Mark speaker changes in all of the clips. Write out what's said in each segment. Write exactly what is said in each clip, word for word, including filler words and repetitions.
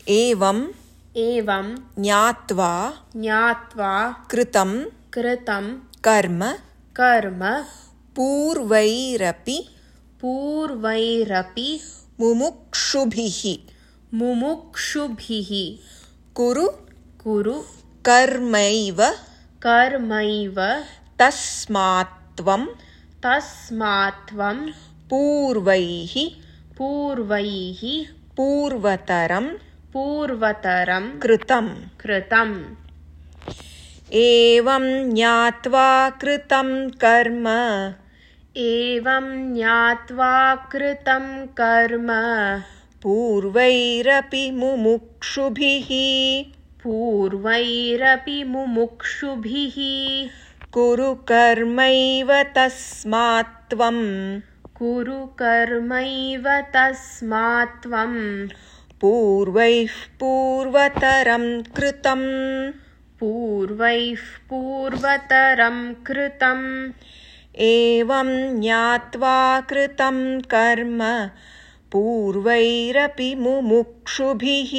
Speaker 1: एवं
Speaker 2: एवं
Speaker 1: ज्ञात्वा
Speaker 2: ज्ञात्वा
Speaker 1: कृतं
Speaker 2: कृतं
Speaker 1: कर्म
Speaker 2: कर्म
Speaker 1: पूर्वैरपि
Speaker 2: पूर्वैरपि
Speaker 1: मुमुक्षुभिः
Speaker 2: मुमुक्षुभिः
Speaker 1: कुरु
Speaker 2: कुरु
Speaker 1: कर्मैव
Speaker 2: कर्मैव
Speaker 1: तस्मात्त्वं
Speaker 2: तस्मात्त्वं
Speaker 1: पूर्वैः
Speaker 2: पूर्वैः
Speaker 1: पूर्वतरं
Speaker 2: पूर्वतरं
Speaker 1: कृतं
Speaker 2: कृतम्।
Speaker 1: एवं ज्ञात्वा कृतं कर्म
Speaker 2: एवं ज्ञात्वा कृतं कर्म
Speaker 1: पूर्वैरपि मुमुक्षुभिः
Speaker 2: पूर्वैरपि मुमुक्षुभिः
Speaker 1: कुरु कर्मैव तस्मात्त्वं
Speaker 2: कुरु कर्मैव तस्मात्त्वं
Speaker 1: पूर्वैः पूर्वतरं कृतम्
Speaker 2: पूर्वैः पूर्वतरं कृतम्।
Speaker 1: एवं ज्ञात्वा कृतं कर्म पूर्वैरपि मुमुक्षुभिः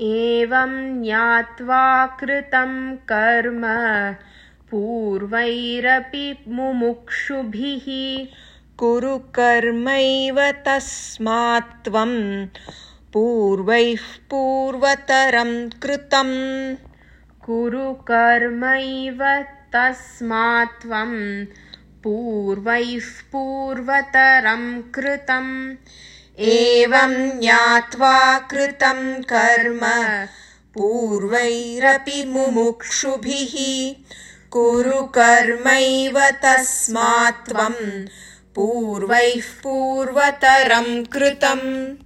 Speaker 2: एवं ज्ञात्वा कृतं कर्म पूर्वैरपि मुमुक्षुभिः
Speaker 1: कुरु कर्मैव तस्मात्त्वं पूर्वैः पूर्वतरं कृतम्
Speaker 2: कुरु कर्मैव तस्मात्त्वं पूर्वैः पूर्वतरं कृतम्।
Speaker 1: एवं ज्ञात्वा कृतं कर्म पूर्वैरपि मुमुक्षुभिः कुरु कर्मैव तस्मात्त्वं पूर्वैः पूर्वतरं कृतम्।